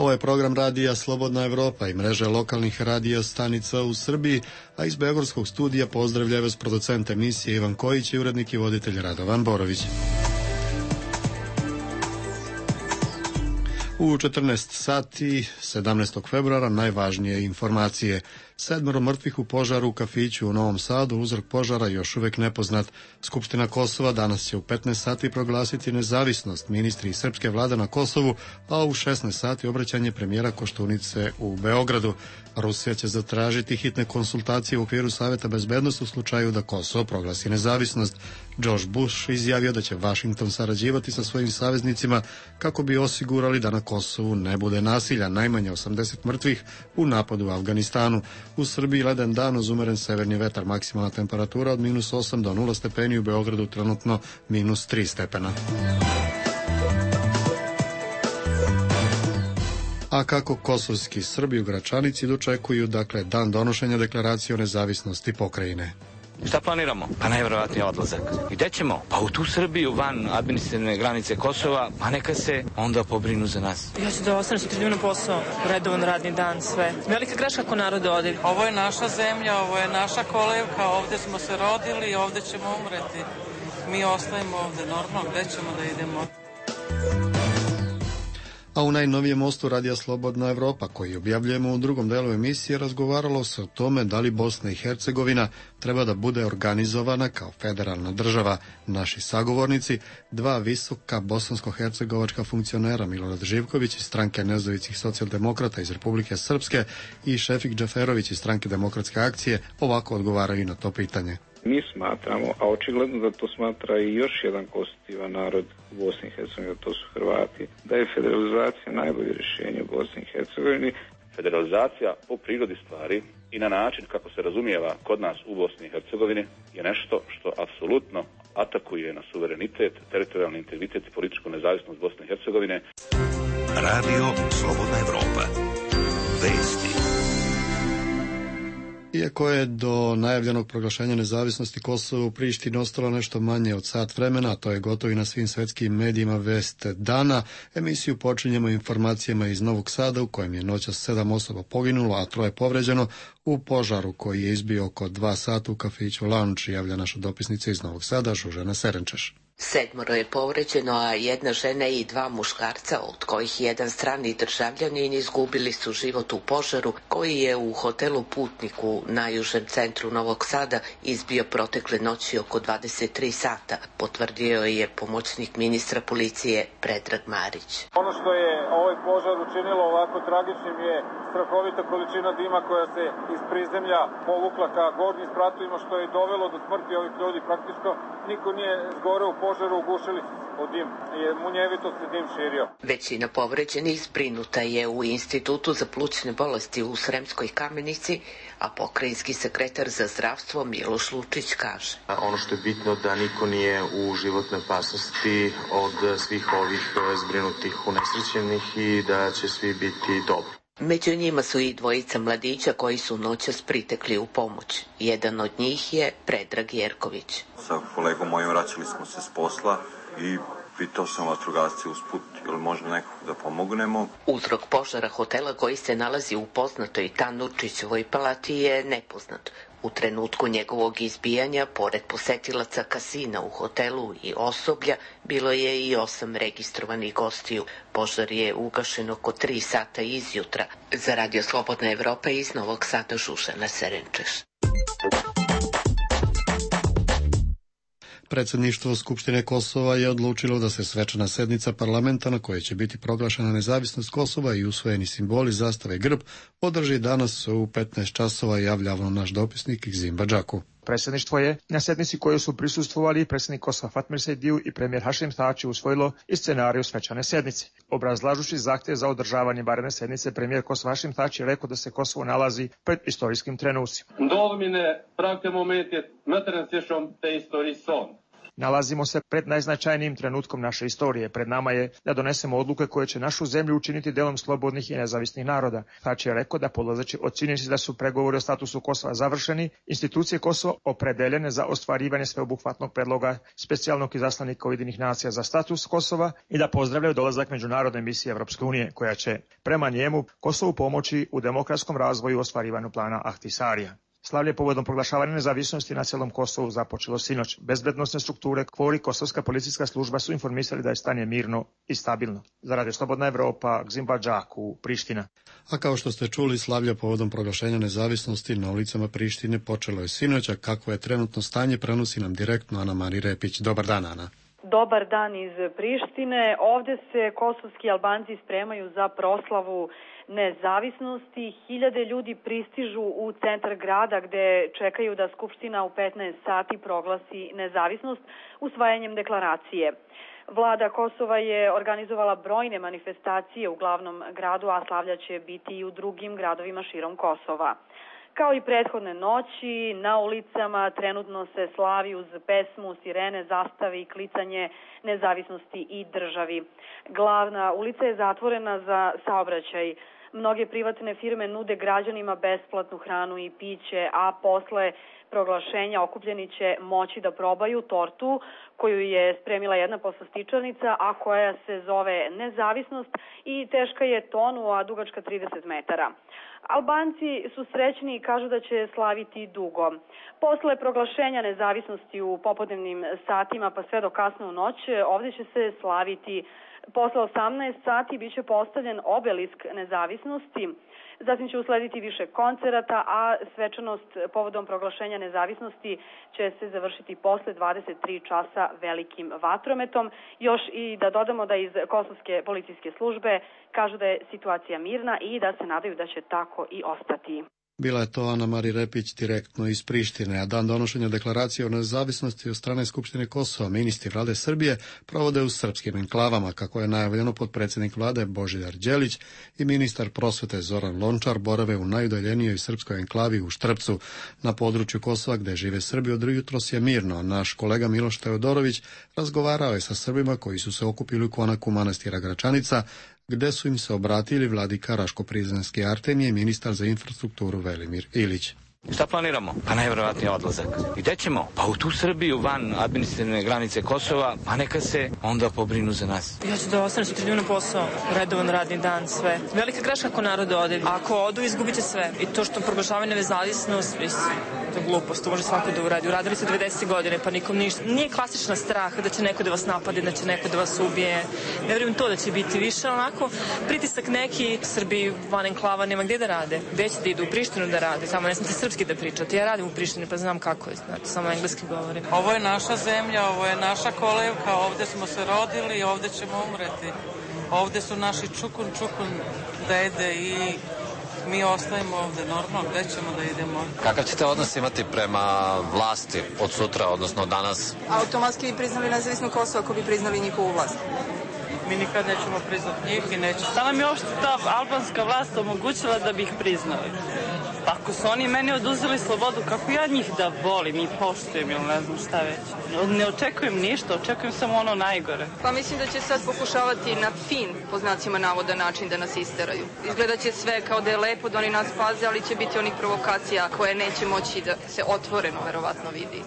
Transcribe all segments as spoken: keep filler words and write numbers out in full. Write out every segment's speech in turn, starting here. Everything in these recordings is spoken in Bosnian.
Ovo je program radija Slobodna Evropa i mreže lokalnih radija stanica u Srbiji, a iz Beogradskog studija pozdravljaju vas producent emisije Ivan Kojić i urednik i voditelj Radovan Borović. U četrnaest sati sedamnaestog februara najvažnije informacije. Sedmero mrtvih u požaru u kafiću u Novom Sadu, uzrok požara još uvek nepoznat. Skupština Kosova danas će u petnaest sati proglasiti nezavisnost ministri srpske vlade na Kosovu, a u šesnaest sati obraćanje premijera Koštunice u Beogradu. Rusija će zatražiti hitne konsultacije u okviru Saveta bezbednosti u slučaju da Kosovo proglasi nezavisnost. George Bush izjavio da će Vašington sarađivati sa svojim saveznicima kako bi osigurali da na Kosovu ne bude nasilja, najmanje osamdeset mrtvih u napadu u Afganistanu. U Srbiji leden dan uz umeren severni vetar, maksimalna temperatura od minus osam do nula stepeni, u Beogradu trenutno minus tri stepena. A kako kosovski Srbi u Gračanici dočekuju, dakle, dan donošenja deklaracije o nezavisnosti pokrajine? Šta planiramo? Pa najvjerovatnije odlazak. I gde ćemo? Pa u tu Srbiju, van administrativne granice Kosova, pa neka se onda pobrinu za nas. Ja ću da ostanem sutra na posao, redovan radni dan, sve. Velika greška ako narod ode. Ovo je naša zemlja, ovo je naša kolevka, ovde smo se rodili i ovde ćemo umreti. Mi ostajemo ovde, normalno, gde ćemo da idemo? A u najnovijem mostu radija Slobodna Evropa, koji objavljujemo u drugom delu emisije, razgovaralo se o tome da li Bosna i Hercegovina treba da bude organizovana kao federalna država. Naši sagovornici, dva visoka bosansko-hercegovačka funkcionera, Milorad Živković iz stranke Nezavisnih socijaldemokrata iz Republike Srpske i Šefik Džaferović iz stranke Demokratske akcije, ovako odgovaraju na to pitanje. Mi smatramo, a očigledno da to smatra i još jedan konstitutivan narod u Bosni i Hercegovini, to su Hrvati, da je federalizacija najbolje rješenje u Bosni i Hercegovini. Federalizacija po prirodi stvari i na način kako se razumijeva kod nas u Bosni i Hercegovini je nešto što apsolutno atakuje na suverenitet, teritorijalni integritet i političku nezavisnost Bosne i Hercegovine. Radio Slobodna Evropa. Vesti. Iako je do najavljenog proglašenja nezavisnosti Kosova u Prištini ostalo nešto manje od sat vremena, a to je gotovo i na svim svetskim medijima vest dana, emisiju počinjemo informacijama iz Novog Sada u kojem je noćas sedam osoba poginulo, a troje povređeno u požaru koji je izbio oko dva sata u kafiću Lounge, javlja naša dopisnica iz Novog Sada, Žužana Serenčeš. Sedmoro je povređeno, a jedna žena i dva muškarca, od kojih jedan strani državljanin, izgubili su život u požaru koji je u hotelu Putnik u najužem centru Novog Sada izbio protekle noći oko dvadeset tri sata, potvrdio je pomoćnik ministra policije Predrag Marić. Ono što je ovaj požar učinilo ovako tragičnim je strahovita količina dima koja se iz prizemlja povukla ka gornjim spratovima, što je dovelo do smrti ovih ljudi. Praktično niko nije zgoreo u požaru, ugušili su od dim, je munjevito se dim širio. Većina povređenih zbrinuta je u Institutu za plućne bolesti u Sremskoj Kamenici, a pokrajinski sekretar za zdravstvo Miloš Lučić kaže. Ono što je bitno da niko nije u životnoj opasnosti od svih ovih zbrinutih unesrećenih i da će svi biti dobri. Među njima su i dvojica mladića koji su noćas pritekli u pomoć. Jedan od njih je Predrag Jerković. Sa kolegom mojim vraćali smo se s posla i pitao sam vatrogasce usput ili možda nekog da pomognemo. Uzrok požara hotela koji se nalazi u poznatoj Tanurčićevoj palati je nepoznat. U trenutku njegovog izbijanja, pored posetilaca kasina u hotelu i osoblja, bilo je i osam registrovanih gostiju. Požar je ugašen oko tri sata izjutra. Za Radio Slobodna Evropa iz Novog Sada, Žužana Serenčeš. Predsjedništvo Skupštine Kosova je odlučilo da se svečana sednica parlamenta na kojoj će biti proglašena nezavisnost Kosova i usvojeni simboli, zastave i grb održi danas u petnaest časova, javljavno naš dopisnik Gzim Badžaku. Predsjedništvo je na sednici kojoj su prisustvovali predsjednik Kosova Fatmir Sejdiju i premijer Hašim Tači usvojilo i scenariju svečane sednice. Obrazlažući zahtjev za održavanje vanredne sednice, premijer Kosova Hašim Tači je rekao da se Kosovo nalazi pred istorijskim trenucima. Dolmine pravke momente, materen sješom te istoriji son. Nalazimo se pred najznačajnijim trenutkom naše istorije. Pred nama je da donesemo odluke koje će našu zemlju učiniti delom slobodnih i nezavisnih naroda. Tači je rekao da polazeći od činjenice da su pregovori o statusu Kosova završeni, institucije Kosova opredeljene za ostvarivanje sveobuhvatnog predloga specijalnog izaslanika Ujedinjenih nacija za status Kosova i da pozdravljaju dolazak međunarodne misije Evropske unije, koja će prema njemu Kosovu pomoći u demokratskom razvoju i ostvarivanju plana Ahtisarija. Slavlje povodom proglašavanja nezavisnosti na cijelom Kosovu započelo sinoć. Bezbednosne strukture, KFOR i Kosovska policijska služba su informisali da je stanje mirno i stabilno. Za Radio Slobodna Evropa, Gzim Badžak u Priština. A kao što ste čuli, slavlje povodom proglašenja nezavisnosti na ulicama Prištine počelo je sinoć, a kako je trenutno stanje prenosi nam direktno Ana Mari Repić. Dobar dan, Ana. Dobar dan iz Prištine. Ovde se kosovski Albanci spremaju za proslavu nezavisnosti. Hiljade ljudi pristižu u centar grada gde čekaju da Skupština u petnaest sati proglasi nezavisnost usvajanjem deklaracije. Vlada Kosova je organizovala brojne manifestacije u glavnom gradu, a slavlja će biti i u drugim gradovima širom Kosova. Kao i prethodne noći, na ulicama trenutno se slavi uz pesmu, sirene, zastave i klicanje nezavisnosti i državi. Glavna ulica je zatvorena za saobraćaj. Mnoge privatne firme nude građanima besplatnu hranu i piće, a posle proglašenja okupljeni će moći da probaju tortu koju je spremila jedna poslastičarnica, a koja se zove Nezavisnost i teška je tonu, a dugačka trideset metara. Albanci su srećni i kažu da će slaviti dugo. Posle proglašenja nezavisnosti u popodnevnim satima pa sve do kasno u noć, ovdje će se slaviti. Posle osamnaest sati biće postavljen obelisk nezavisnosti, zatim će uslediti više koncerata, a svečanost povodom proglašenja nezavisnosti će se završiti posle dvadeset tri časa velikim vatrometom. Još i da dodamo da iz Kosovske policijske službe kažu da je situacija mirna i da se nadaju da će tako i ostati. Bila je to Ana Mari Repić direktno iz Prištine, a dan donošenja deklaracije o nezavisnosti od strane Skupštine Kosova ministri vlade Srbije provode u srpskim enklavama, kako je najavljeno potpredsjednik vlade Božidar Đelić i ministar prosvete Zoran Lončar borave u najudaljenijoj srpskoj enklavi u Štrpcu na području Kosova gde žive Srbi. Od jutros je mirno. Naš kolega Miloš Teodorović razgovarao je sa Srbima koji su se okupili u konaku manastira Gračanica, gde su im se obratili vladika Raško-Prizrenski Artemije i ministar za infrastrukturu Velimir Ilić. Šta planiramo? Pa najvjerovatniji odlazak. I gde ćemo? Pa u tu Srbiju, van administrativne granice Kosova, pa neka se onda pobrinu za nas. Ja ću da ostanem sutra na posao, redovan radni dan, sve. Velika greška ako narod ode. Ako odu, izgubite sve. I to što proglašavaju nezavisnost, to je glupost, to može svako da uradi. Uradili se devedeset godine, pa nikom ništa. Nije klasična strah da će neko da vas napade, da će neko da vas ubije. Ne vjerujem to da će biti više, onako pritisak neki. Srbi van enklava nema gdje da rade. Gde će da idu u Prištinu da rade, samo ne smete srpski da pričate. Ja radim u Prištini pa znam kako je, znači samo engleski govorim. Ovo je naša zemlja, ovo je naša kolevka, ovde smo se rodili i ovde ćemo umreti. Ovde su naši čukun, čukun dede i mi ostajemo ovde normalno, gde ćemo da idemo. Kakav ćete odnos imati prema vlasti od sutra, odnosno danas? Automatski bi priznali nezavisno Kosovo ako bi priznali njihovu vlast. Mi nikad nećemo priznati njih i nećemo. Šta nam je uopšte ta albanska vlast omogućila da bi ih priznali? Ako su oni meni oduzeli slobodu, kako ja njih da volim i poštujem ili ne znam šta već. Ne očekujem ništa, očekujem samo ono najgore. Pa mislim da će sad pokušavati na fin, po znacima navoda, način da nas isteraju. Izgleda će sve kao da je lepo da oni nas paze, ali će biti onih provokacija koje neće moći da se otvoreno verovatno vidi.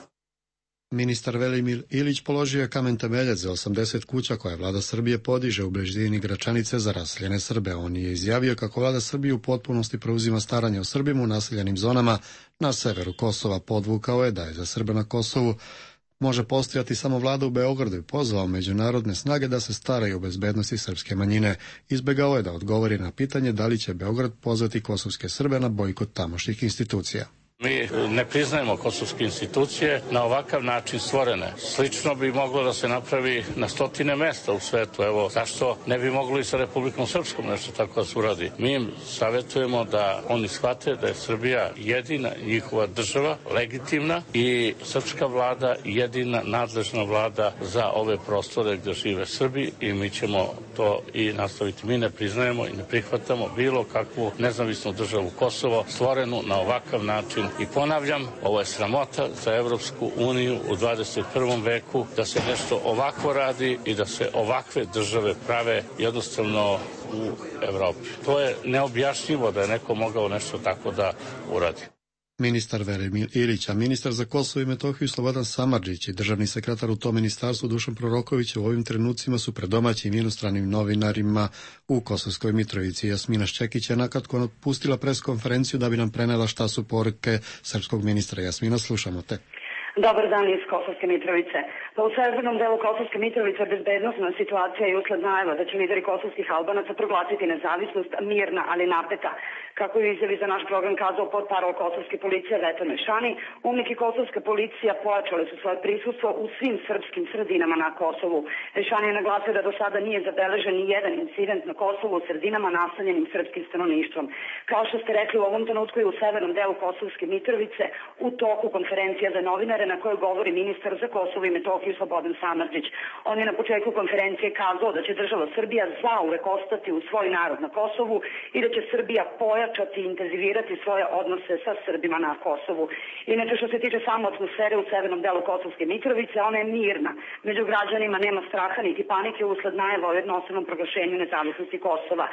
Ministar Velimir Ilić položio je kamen temeljac za osamdeset kuća koje vlada Srbije podiže u blizini Gračanice za raseljene Srbe. On je izjavio kako vlada Srbije u potpunosti preuzima staranje o Srbima u naseljenim zonama na severu Kosova. Podvukao je da je za Srbe na Kosovu može postojati samo vlada u Beogradu i pozvao međunarodne snage da se staraju o bezbednosti srpske manjine. Izbegao je da odgovori na pitanje da li će Beograd pozvati kosovske Srbe na bojkot tamošnjih institucija. Mi ne priznajemo kosovske institucije na ovakav način stvorene. Slično bi moglo da se napravi na stotine mesta u svetu. Evo, zašto ne bi moglo i sa Republikom Srpskom nešto tako da se uradi? Mi im savjetujemo da oni shvate da je Srbija jedina njihova država, legitimna, i srpska vlada jedina nadležna vlada za ove prostore gdje žive Srbi i mi ćemo to i nastaviti. Mi ne priznajemo i ne prihvatamo bilo kakvu nezavisnu državu Kosovo stvorenu na ovakav način I ponavljam, ovo je sramota za Evropsku uniju u dvadeset prvom veku da se nešto ovako radi i da se ovakve države prave jednostavno u Evropi. To je neobjašnjivo da je neko mogao nešto tako da uradi. Ministar Velimir Ilić, a ministar za Kosovo i Metohiju Slobodan Samardžić i državni sekretar u tom ministarstvu Dušan Proroković u ovim trenucima su pred domaćim i inostranim novinarima u Kosovskoj Mitrovici. Jasmina Šćekić je nakratko napustila preskonferenciju da bi nam prenela šta su poruke srpskog ministra. Jasmina, slušamo te. Dobar dan iz Kosovske Mitrovice. Pa u severnom delu Kosovske Mitrovice bezbednosna situacija je usled najava da će lideri kosovskih Albanaca proglasiti nezavisnost mirna, ali napeta. Kako je izjavi za naš program kazao portparol kosovske policije Veto Mešani, UNMIK i kosovska policija pojačale su svoje prisustvo u svim srpskim sredinama na Kosovu. Mešani je naglasio da do sada nije zabeležen ni jedan incident na Kosovu u sredinama nastanjenim srpskim stanovništvom. Kao što ste rekli, u ovom trenutku je u severnom delu Kosovske Mitrovice u toku konferencija za novinare na kojoj govori ministar za Kosovo i Metohiju Slobodan Samardžić. On je na početku konferencije kazao da će država Srbija zauvek ostati u svoj narod na Kosovu i da će Srbija pojačati i intenzivirati svoje odnose sa Srbima na Kosovu. Inače, što se tiče samo atmosfere u severnom delu Kosovske Mitrovice, ona je mirna. Među građanima nema straha niti panike usled najava o jednostavnom proglašenju nezavisnosti Kosova.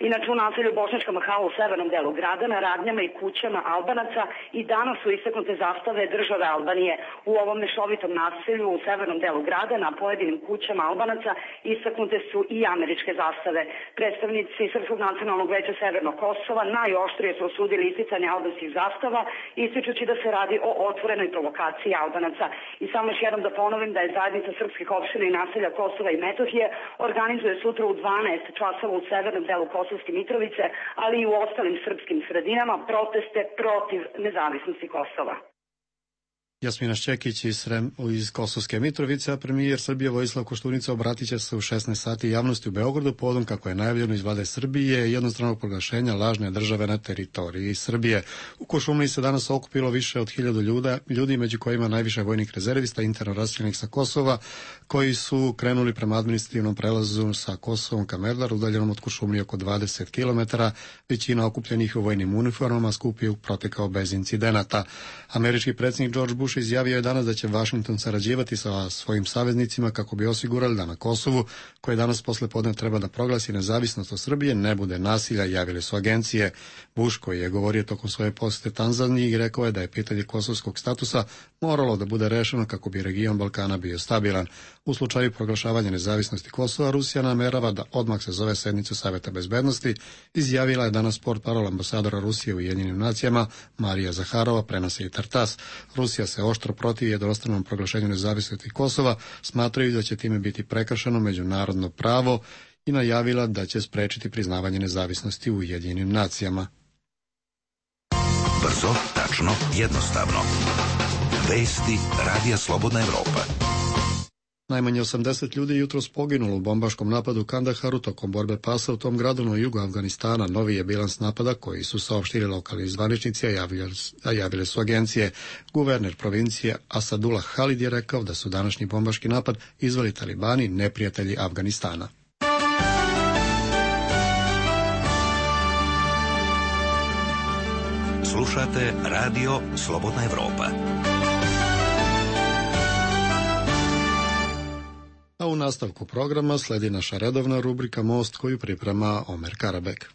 Inače, u naselju Bošnjačka Mahala u severnom delu grada, na radnjama i kućama Albanaca i danas su istaknute zastave države Albanije. U ovom mešovitom naselju u severnom delu grada na pojedinim kućama Albanaca istaknute su i američke zastave. Predstavnici Srpskog nacionalnog veća Severnog Kosova najoštrije su osudili isticanje albanskih zastava, ističući da se radi o otvorenoj provokaciji Albanaca. I samo još jednom da ponovim da je zajednica srpskih opština i naselja Kosova i Metohije organizuje sutra u dvanaest časova u severnom delu Kosovske Mitrovice, ali i u ostalim srpskim sredinama proteste protiv nezavisnosti Kosova. Jasmina Šćekić iz, Srem, iz Kosovske Mitrovice, a premijer Srbije Vojislav Koštunica obratit će se u šesnaest sati javnosti u Beogradu povodom, kako je najavljeno iz vlade Srbije, jednostranog proglašenja lažne države na teritoriji Srbije. U Košumliji se danas okupilo više od hiljadu ljudi, među kojima najviše vojnih rezervista interno raseljenih sa Kosova, koji su krenuli prema administrativnom prelazu sa Kosovom ka Merdar, udaljenom od Košumlije oko dvadeset kilometara. Većina okupljenih u vojnim uniformama skup je protekao bez incidenata. Američki predsjednik George Bush izjavio je danas da će Vašington sarađivati sa svojim saveznicima kako bi osigurali da na Kosovu, koje danas posle podne treba da proglasi nezavisnost od Srbije, ne bude nasilja, javile su agencije. Bush, koji je govorio tokom svoje posete Tanzaniji, rekao je da je pitanje kosovskog statusa moralo da bude rešeno kako bi region Balkana bio stabilan. U slučaju proglašavanja nezavisnosti Kosova, Rusija namerava da odmah se zove sednicu Saveta bezbednosti, izjavila je danas portparol ambasadora Rusije u Ujedinjenim nacijama Marija Zaharova, prenosi i Tartas. Rusija se oštro protivi jednostranom proglašenju nezavisnosti Kosova, smatraju da će time biti prekršeno međunarodno pravo i najavila da će sprečiti priznavanje nezavisnosti u Ujedinjenim nacijama. Brzo, tačno, jednostavno. Vesti Radija Slobodna Evropa. Najmanje osamdeset ljudi jutros poginulo u bombaškom napadu u Kandaharu tokom borbe pasa u tom gradu na jugu Afganistana. Novi je bilans napada koji su saopštili lokalni zvaničnici, a javile, a javile su agencije. Guverner provincije Asadullah Halid je rekao da su današnji bombaški napad izveli talibani, neprijatelji Afganistana. Slušate Radio Slobodna Evropa. A u nastavku programa sledi naša redovna rubrika Most, koju priprema Omer Karabek.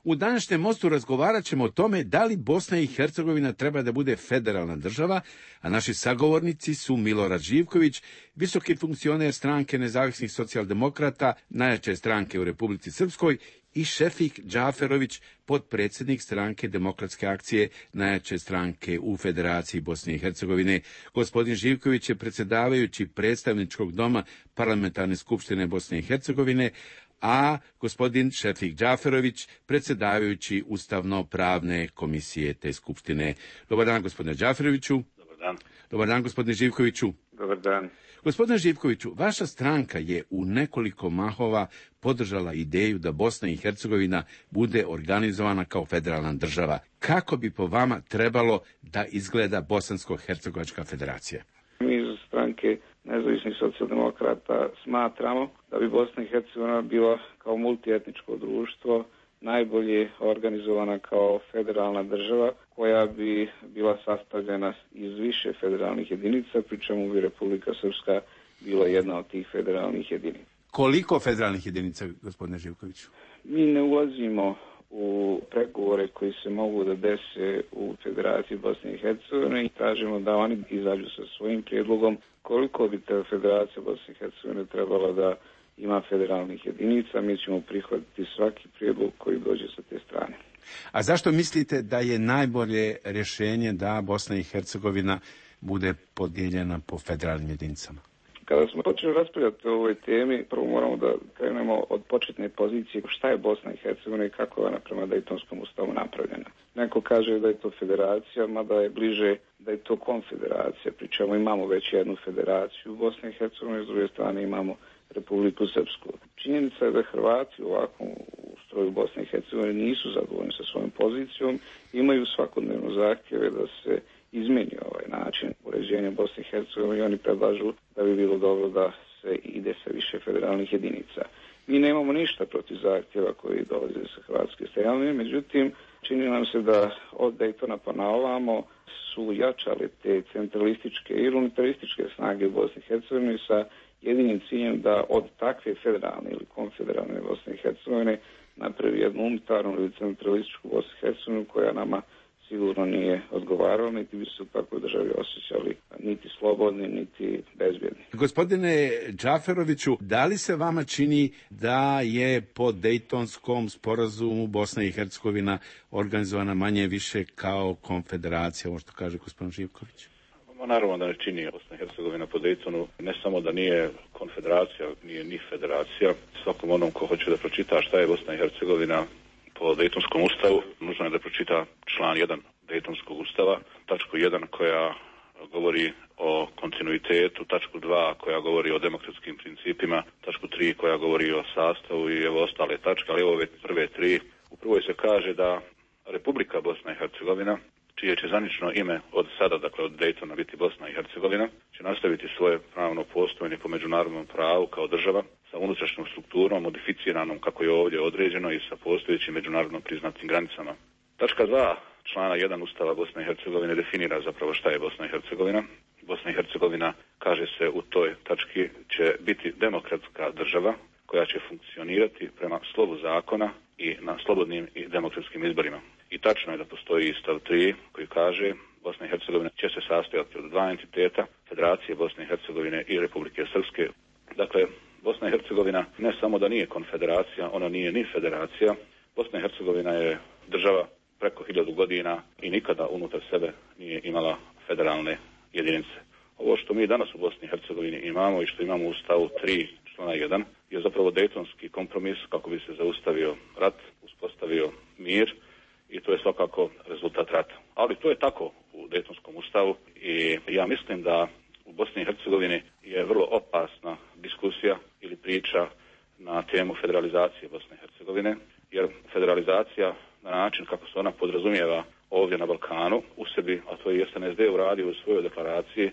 U današnjem Mostu razgovarat ćemo o tome da li Bosna i Hercegovina treba da bude federalna država, a naši sagovornici su Milorad Živković, visoki funkcioner stranke nezavisnih socijaldemokrata, najjače stranke u Republici Srpskoj, i Šefik Džaferović, potpredsjednik stranke Demokratske akcije, najjače stranke u Federaciji Bosne i Hercegovine. Gospodin Živković je predsjedavajući predstavničkog doma Parlamentarne skupštine Bosne i Hercegovine, a gospodin Šefik Džaferović, predsjedavajući Ustavno-pravne komisije te skupštine. Dobar dan, gospodine Džaferoviću. Dobar dan. Dobar dan, gospodine Živkoviću. Dobar dan. Gospodine Živkoviću, vaša stranka je u nekoliko mahova podržala ideju da Bosna i Hercegovina bude organizovana kao federalna država. Kako bi po vama trebalo da izgleda Bosansko-hercegovačka federacija? Mi iz stranke nezavisnih socijaldemokrata smatramo da bi Bosna i Hercegovina bila kao multietničko društvo najbolje organizovana kao federalna država koja bi bila sastavljena iz više federalnih jedinica, pri čemu bi Republika Srpska bila jedna od tih federalnih jedinica. Koliko federalnih jedinica, gospodine Živkoviću? Mi ne ulazimo u pregovore koji se mogu da dese u Federaciji Bosne i Hercegovine i tražimo da oni izađu sa svojim prijedlogom koliko bi ta Federacija Bosne i Hercegovine trebala da ima federalnih jedinica. Mi ćemo prihvatiti svaki prijedlog koji dođe sa te strane. A zašto mislite da je najbolje rješenje da Bosna i Hercegovina bude podijeljena po federalnim jedinicama? Kada smo počeli raspravljati o ovoj temi, prvo moramo da krenemo od početne pozicije šta je Bosna i Hercegovina i kako je ona prema Dejtonskom ustavu napravljena. Neko kaže da je to federacija, mada je bliže da je to konfederacija, pri čemu imamo već jednu federaciju u Bosni i Hercegovini, s druge strane imamo Republiku Srpsku. Činjenica je da Hrvati u ovakvom ustroju Bosne i Hercegovine nisu zadovoljni sa svojom pozicijom, imaju svakodnevno zahtjeve da se izmeni ovaj način uređenja Bosne i Hercegovine i oni predlažu da bi bilo dobro da se ide sa više federalnih jedinica. Mi nemamo ništa protiv zahtjeva koji dolaze sa hrvatske strane, međutim, čini nam se da od Dejtona pa na ovamo su jačale te centralističke i unitarističke snage u Bosni i Hercegovini sa jedinim ciljem da od takve federalne ili konfederalne Bosne i Hercegovine napravi jednu unitarnu ili centralističku Bosnu i Hercegovinu koja nama sigurno nije odgovaralo, niti bi se u takvoj državi osjećali niti slobodni, niti bezbjedni. Gospodine Džaferoviću, da li se vama čini da je po Dejtonskom sporazumu Bosna i Hercegovina organizovana manje više kao konfederacija, ovo što kaže gospodin Živković? Naravno da ne čini. Bosna i Hercegovina po Dejtonu ne samo da nije konfederacija, nije ni federacija. Svakom onom ko hoće da pročita šta je Bosna i Hercegovina po Dejtonskom ustavu, nužno je da pročita član jedan Dejtonskog ustava, tačku jedan koja govori o kontinuitetu, tačku dva koja govori o demokratskim principima, tačku tri koja govori o sastavu i evo ostale tačke, ali evo ove prve tri. U prvoj se kaže da Republika Bosna i Hercegovina, čije će zvanično ime od sada, dakle od Dejtona biti Bosna i Hercegovina, će nastaviti svoje pravno postojanje po međunarodnom pravu kao država sa unutrašnjom strukturom, modificiranom kako je ovdje određeno i sa postojećim međunarodno priznatim granicama. Tačka dva člana jedan Ustava Bosne i Hercegovine definira zapravo šta je Bosna i Hercegovina. Bosna i Hercegovina, kaže se u toj tački, će biti demokratska država koja će funkcionirati prema slovu zakona i na slobodnim i demokratskim izborima. I tačno je da postoji stav tri koji kaže Bosna i Hercegovina će se sastojati od dva entiteta, Federacije Bosne i Hercegovine i Republike Srpske. Dakle, Bosna i Hercegovina ne samo da nije konfederacija, ona nije ni federacija. Bosna i Hercegovina je država preko hiljadu godina i nikada unutar sebe nije imala federalne jedinice. Ovo što mi danas u Bosni i Hercegovini imamo i što imamo u stavu tri člana jedan je zapravo Dejtonski kompromis kako bi se zaustavio rat, uspostavio mir i to je svakako rezultat rata. Ali to je tako u Dejtonskom ustavu i ja mislim da u Bosni i Hercegovini je vrlo opasna diskusija ili priča na temu federalizacije Bosne i Hercegovine, jer federalizacija na način kako se ona podrazumijeva ovdje na Balkanu u sebi, a to je S N S D uradio u svojoj deklaraciji,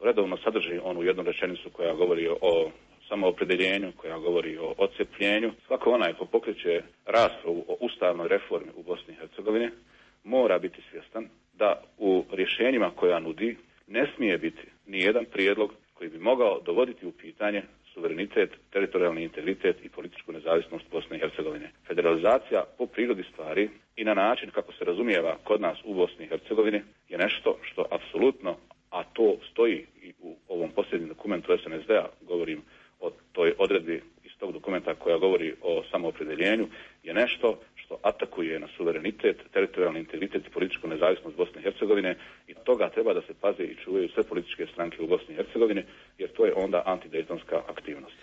redovno sadrži onu jednu rečenicu koja govori o samoopredeljenju, koja govori o odcepljenju. Svako onaj ko pokreće raspravu o ustavnoj reformi u Bosni i Hercegovini mora biti svjestan da u rješenjima koja nudi ne smije biti ni jedan prijedlog koji bi mogao dovoditi u pitanje suverenitet, teritorijalni integritet i političku nezavisnost Bosne i Hercegovine. Federalizacija po prirodi stvari i na način kako se razumijeva kod nas u Bosni i Hercegovini je nešto što apsolutno, a to stoji i u ovom posljednjem dokumentu S N S D-a, govorim o toj odredbi iz tog dokumenta koja govori o samoopredeljenju, je nešto što atakuje na suverenitet, teritorijalni integritet i političku nezavisnost Bosne i Hercegovine i toga treba da se paze i čuvaju sve političke stranke u Bosni i Hercegovini, jer to je onda antidejtonska aktivnost.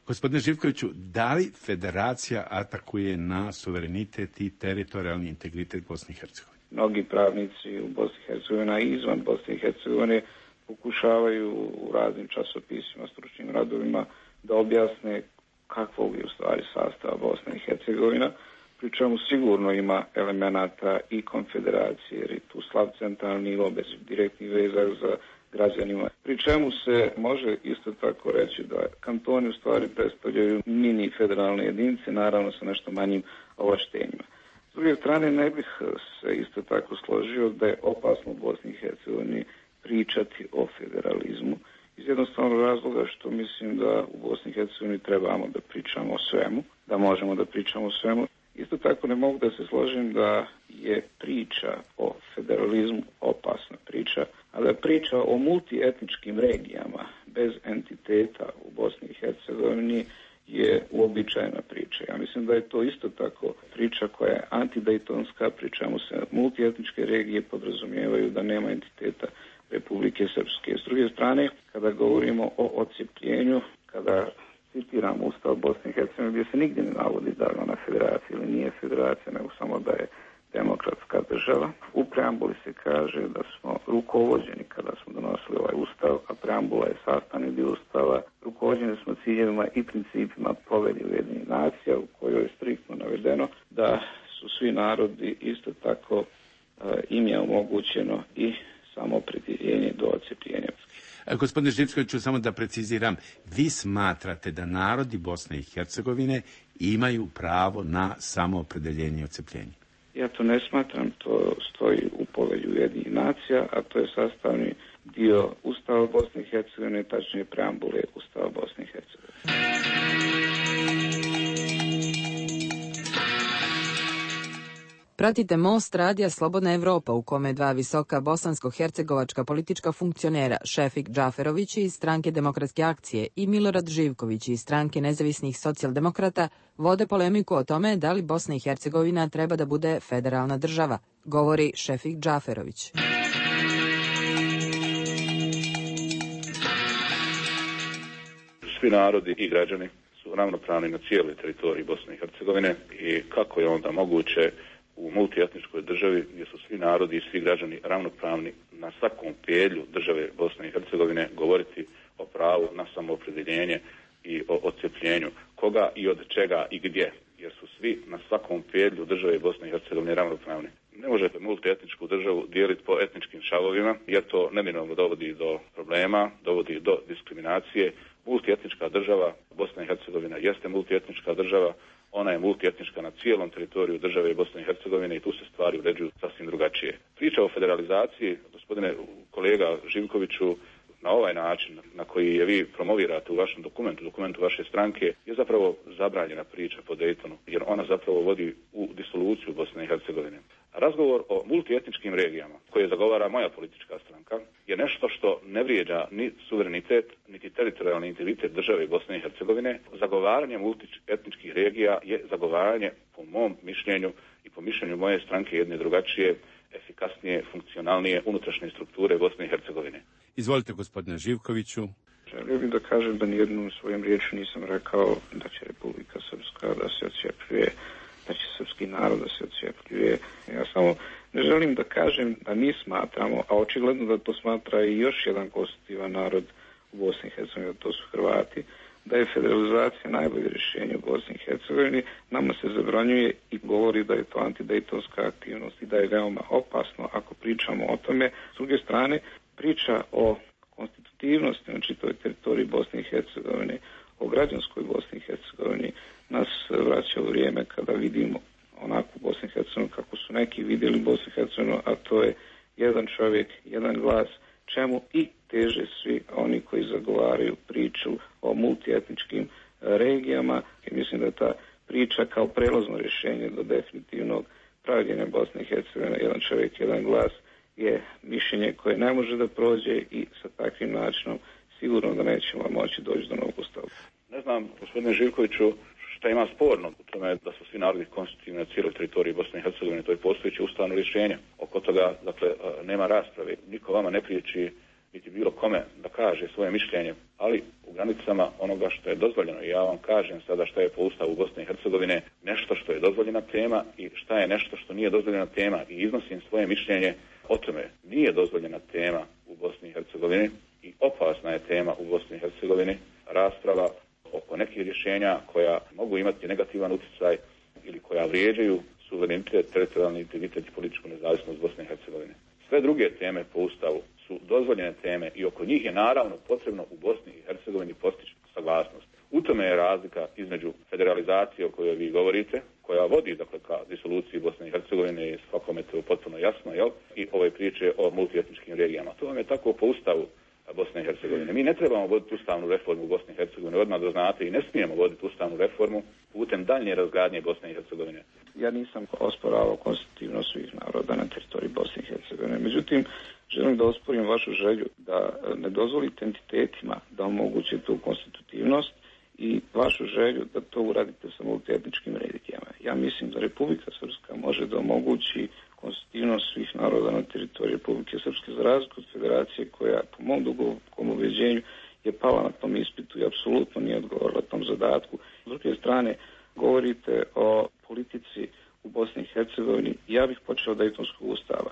Gospodine Živkoviću, da li federacija atakuje na suverenitet i teritorijalni integritet Bosne i Hercegovine? Mnogi pravnici u Bosni i Hercegovini i izvan Bosne i Hercegovine pokušavaju u raznim časopisima, stručnim radovima da objasne kakvog je u stvari sastava Bosna i Hercegovina, pri čemu sigurno ima elemenata i konfederacije, jer je tu slab centralni nivo bez direktnih veza za građanima. Pri čemu se može isto tako reći da kantoni u stvari predstavljaju mini federalne jedinice, naravno sa nešto manjim ovlaštenjima. S druge strane, ne bih se isto tako složio da je opasno u Bosni i Hercegovini pričati o federalizmu. Iz jednostavnog razloga što mislim da u Bosni i Hercegovini trebamo da pričamo o svemu, da možemo da pričamo o svemu. Isto tako ne mogu da se složim da je priča o federalizmu opasna priča, a da priča o multietničkim regijama bez entiteta u Bosni i Hercegovini je uobičajena priča. Ja mislim da je to isto tako priča koja je antidejtonska, pri čemu se multietničke regije podrazumijevaju da nema entiteta Republike Srpske. S druge strane, kada govorimo o odcepljenju, kada citiramo Ustav Bosne i Hercegovine, gdje se nigdje ne navodi da je ona federacija ili nije federacija, nego samo da je demokratska država. U preambuli se kaže da smo rukovođeni kada smo donosili ovaj Ustav, a preambula je sastavni dio Ustava. Rukovođeni smo ciljevima i principima Povelje Ujedinjenih nacija, u kojoj je striktno navedeno da su svi narodi isto tako e, im je omogućeno i samoopredjeljenje do odcepljenja. Gospodine Živkoviću, samo da preciziram, vi smatrate da narodi Bosne i Hercegovine imaju pravo na samoopredeljenje i odcepljenje? Ja to ne smatram, to stoji u Povelju Ujedinjenih nacija, a to je sastavni dio Ustava Bosne i Hercegovine, tačnije preambule Ustava Bosne i Hercegovine. Pratite Most radija Slobodna Evropa, u kome dva visoka bosansko-hercegovačka politička funkcionera, Šefik Džaferović iz stranke Demokratske akcije i Milorad Živković iz stranke Nezavisnih socijaldemokrata, vode polemiku o tome da li Bosna i Hercegovina treba da bude federalna država, govori Šefik Džaferović. Svi narodi i građani su ravnopravni na cijeloj teritoriji Bosne i Hercegovine i kako je onda moguće u multietničkoj državi gdje su svi narodi i svi građani ravnopravni na svakom pedlju države Bosne i Hercegovine govoriti o pravu na samoopredjeljenje i o odcepljenju koga i od čega i gdje, jer su svi na svakom pedlju države Bosne i Hercegovine ravnopravni. Ne možete multietničku državu dijeliti po etničkim šavovima, jer to neminovno dovodi do problema, dovodi do diskriminacije. Multietnička država, Bosna i Hercegovina jeste multietnička država, ona je multietnička na cijelom teritoriju države Bosne i Hercegovine i tu se stvari uređuju sasvim drugačije. Priča o federalizaciji, gospodine kolega Živkoviću, na ovaj način na koji je vi promovirate u vašem dokumentu, dokumentu vaše stranke, je zapravo zabranjena priča po Daytonu, jer ona zapravo vodi u disoluciju Bosne i Hercegovine. Razgovor o multietničkim regijama, koje zagovara moja politička stranka, je nešto što ne vrijeđa ni suverenitet, niti teritorijalni integritet države Bosne i Hercegovine. Zagovaranje multietničkih regija je zagovaranje, po mom mišljenju i po mišljenju moje stranke, jedne drugačije, efikasnije, funkcionalnije unutrašnje strukture Bosne i Hercegovine. Izvolite, gospodine Živkoviću. Želio bih da kažem da nijednom svojim riječju nisam rekao da će Republika Srpska da se odcijepljuje, da će srpski narod da se odcijepljuje. Ja samo ne želim da kažem da mi smatramo, a očigledno da to smatra i još jedan konstitutivan narod u Bosni i Hercegovini, da to su Hrvati, da je federalizacija najbolje rješenje u Bosni i Hercegovini. Nama se zabranjuje i govori da je to antidejtonska aktivnost i da je veoma opasno ako pričamo o tome. S druge strane, priča o konstitutivnosti na čitavoj teritoriji Bosne i Hercegovine, o građanskoj Bosni i Hercegovini, nas vraća u vrijeme kada vidimo onakvu Bosnu i Hercegovinu kako su neki vidjeli Bosnu i Hercegovinu, a to je jedan čovjek, jedan glas, čemu i teže svi oni koji zagovaraju priču o multietničkim regijama. I mislim da je ta priča kao prelazno rješenje do definitivnog pravljenja Bosne i Hercegovine, jedan čovjek, jedan glas, je mišljenje koje ne može da prođe i sa takvim načinom sigurno da nećemo moći doći do novog ustava. Ne znam, gospodine Živkoviću, šta ima sporno u tome da su svi narodi konstitutivni na cijeloj teritoriji Bosne i Hercegovine, to je postojeće ustavno rješenje. Oko toga, dakle, nema rasprave. Niko vama ne priječi niti bilo kome da kaže svoje mišljenje, ali u granicama onoga što je dozvoljeno. I ja vam kažem sada šta je po ustavu Bosne i Hercegovine nešto što je dozvoljena tema i šta je nešto što nije dozvoljena tema i iznosim svoje mišljenje o tome. Nije dozvoljena tema u Bosni i Hercegovini i opasna je tema u Bosni i Hercegovini rasprava oko nekih rješenja koja mogu imati negativan utjecaj ili koja vrijeđaju suverenitet, teritorijalni integritet i političku nezavisnost Bosne i Hercegovine. Sve druge teme po ustavu su dozvoljene teme i oko njih je naravno potrebno u Bosni i Hercegovini postići saglasnost. U tome je razlika između federalizacije o kojoj vi govorite, koja vodi dakle ka disoluciji Bosne i Hercegovine i svakome to potpuno jasno, jel? I ove priče o multietničkim regijama. To vam je tako po ustavu Bosne i Hercegovine. Mi ne trebamo voditi ustavnu reformu u Bosni i Hercegovini, odmah da znate, i ne smijemo voditi ustavnu reformu putem daljnje razgradnje Bosne i Hercegovine. Ja nisam osporavao konstitutivnost svih naroda na teritoriji Bosne i Hercegovine. Međutim, želim da osporim vašu želju da ne dozvolite entitetima da omoguće tu konstitutivnost i vašu želju da to uradite sa multietničkim regijama. Ja mislim da Republika Srpska može da omogući konstitutivnost svih naroda na teritoriji Republike Srpske za razliku od federacije koja po mom dubokom ubeđenju je pala na tom ispitu i apsolutno nije odgovorila tom zadatku. S druge strane, govorite o politici u Bosni i Hercegovini. Ja bih počeo od Dejtonskog ustava.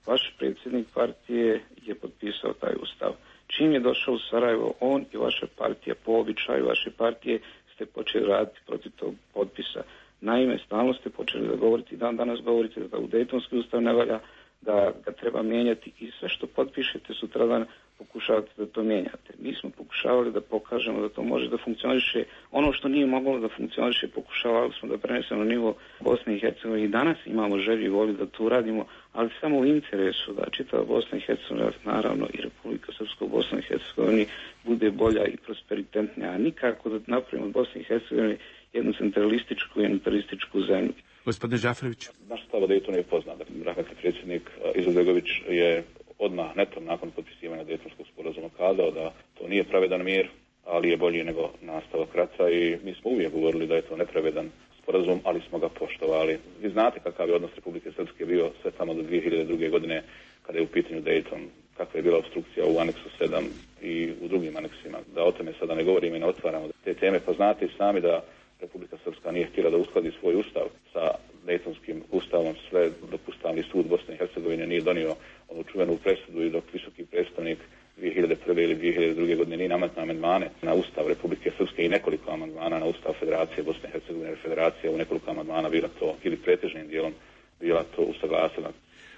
Vaš predsjednik partije je potpisao taj ustav. Čim je došao u Sarajevo, on i vaša partija, po običaju vaše partije, ste počeli raditi protiv tog potpisa. Naime, stalno ste počeli da govorite i dan danas govorite da u Dejtonski ustav ne valja, da ga treba mijenjati i sve što potpišete sutradan pokušavate da to mijenjate. Mi smo pokušavali da pokažemo da to može da funkcioniše. Ono što nije moglo da funkcioniše, pokušavali smo da prenesemo na nivo Bosne i Hercegovine i danas imamo želju i volju da to uradimo, ali samo u interesu da čitava Bosna i Hercegovina, naravno i Republika Srpska u Bosni i Hercegovini bude bolja i prosperitetnija, a nikako da napravimo od Bosne i Hercegovine jednu centralističku i unitarističku zemlju. Gospodine Džaferović. Naš stav o Dejtonu je poznat. Rahmetli predsjednik Izetbegović je odmah netom nakon potpisivanja Dejtonskog sporazuma kazao da to nije pravedan mir, ali je bolji nego nastavak rata i mi smo uvijek govorili da je to nepravedan sporazum, ali smo ga poštovali. Vi znate kakav je odnos Republike Srpske bio sve tamo do dvije hiljade druge. godine kada je u pitanju Dejton, kakva je bila obstrukcija u aneksu sedam i u drugim aneksima. Da o tome sada ne govorimo i ne otvaramo te teme, pa znate i sami da Republika Srpska nije htjela da uskladi svoj ustav sa Dejtonskim ustavom, sve dok Ustavni sud Bosne i Hercegovine nije donio onu čuvenu presudu i dok visoki predstavnik dvije hiljade prve ili dvije hiljade druge. godine nije nametnuo amandmane na Ustav Republike Srpske i nekoliko amandmana na Ustav Federacije Bosne i Hercegovine, jer Federacija u nekoliko amandmana bila to, ili pretežnim dijelom bila to usaglasila.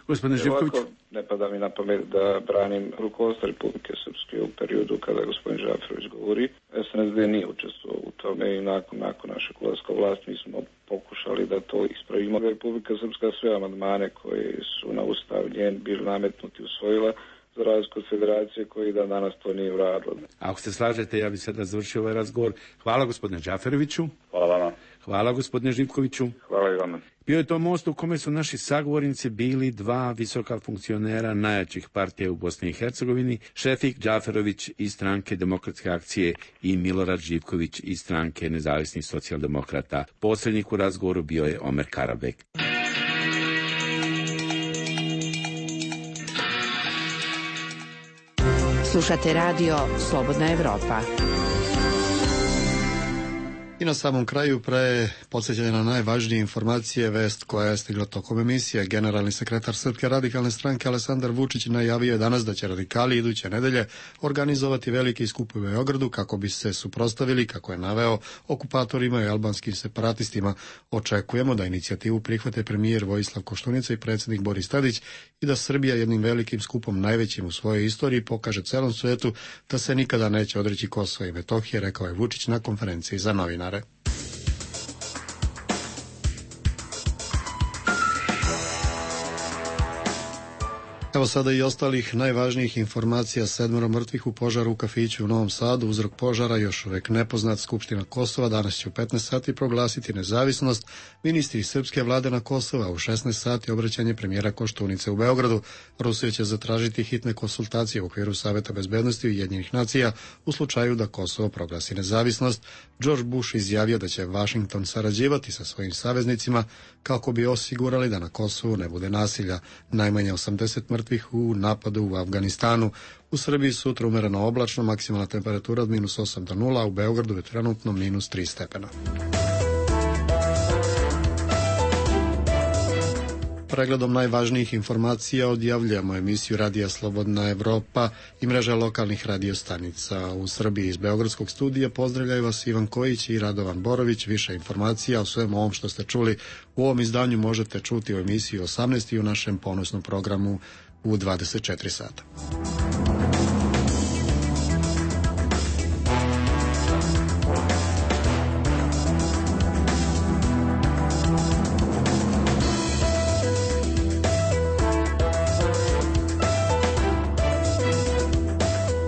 Gospodine Živković. Ne pada mi na pamet da branim rukovodstvo Republike Srpske u periodu kada gospodin Žaferović govori. S N S D nije učestvovao u tome i nakon, nakon našeg ulaska u vlast mi smo pokušali da to ispravimo. Republika Srpska sve amandmane koji su na ustav njen bili nametnuti usvojila, za razliku od federacije koji da danas to nije uradilo. Ako se slažete, ja bih sada završio ovaj razgovor. Hvala gospodine Džaferoviću. Hvala vama. Hvala gospodine Živkoviću. Hvala i vama. Bio je to most u kome su naši sagovornici bili dva visoka funkcionera najjačih partija u Bosni i Hercegovini, Šefik Džaferović iz stranke Demokratske akcije i Milorad Živković iz stranke Nezavisnih socijaldemokrata. Posrednik u razgovoru bio je Omer Karabek. Slušate radio Slobodna Evropa. I na samom kraju pre podsjećanja na najvažnije informacije, vest koja je stigla tokom emisije. Generalni sekretar Srpske radikalne stranke Aleksandar Vučić najavio je danas da će radikali iduće nedelje organizovati veliki skup u Beogradu kako bi se suprotstavili, kako je naveo, okupatorima i albanskim separatistima. Očekujemo da inicijativu prihvate premijer Vojislav Koštunica i predsjednik Boris Tadić i da Srbija jednim velikim skupom, najvećim u svojoj istoriji, pokaže celom svetu da se nikada neće odreći Kosova i Metohije, rekao je Vučić na konferenciji za novinare. Evo sada i ostalih najvažnijih informacija. Sedmero mrtvih u požaru u kafiću u Novom Sadu. Uzrok požara još uvek nepoznat. Skupština Kosova danas će u petnaest sati proglasiti nezavisnost. Ministri srpske vlade na Kosova u šesnaest sati obraćanje premijera Koštunice u Beogradu. Rusija će zatražiti hitne konsultacije u okviru Saveta bezbednosti Ujedinjenih nacija u slučaju da Kosovo proglasi nezavisnost. George Bush izjavio da će Washington sarađivati sa svojim saveznicima kako bi osigurali da na Kosovu ne bude nasilja. Najmanje osamdeset mrtvih u napadu u Afganistanu. U Srbiji sutra umereno oblačno, maksimalna temperatura od minus osam do nula, a u Beogradu je trenutno minus tri stepena. Pregledom najvažnijih informacija odjavljujemo emisiju Radija Slobodna Evropa i mreža lokalnih radiostanica u Srbiji. Iz Beogradskog studija pozdravljaju vas Ivan Kojić i Radovan Borović. Više informacija o svemu ovom što ste čuli u ovom izdanju možete čuti u emisiji osamnaest i u našem ponosnom programu u dvadeset četiri sata.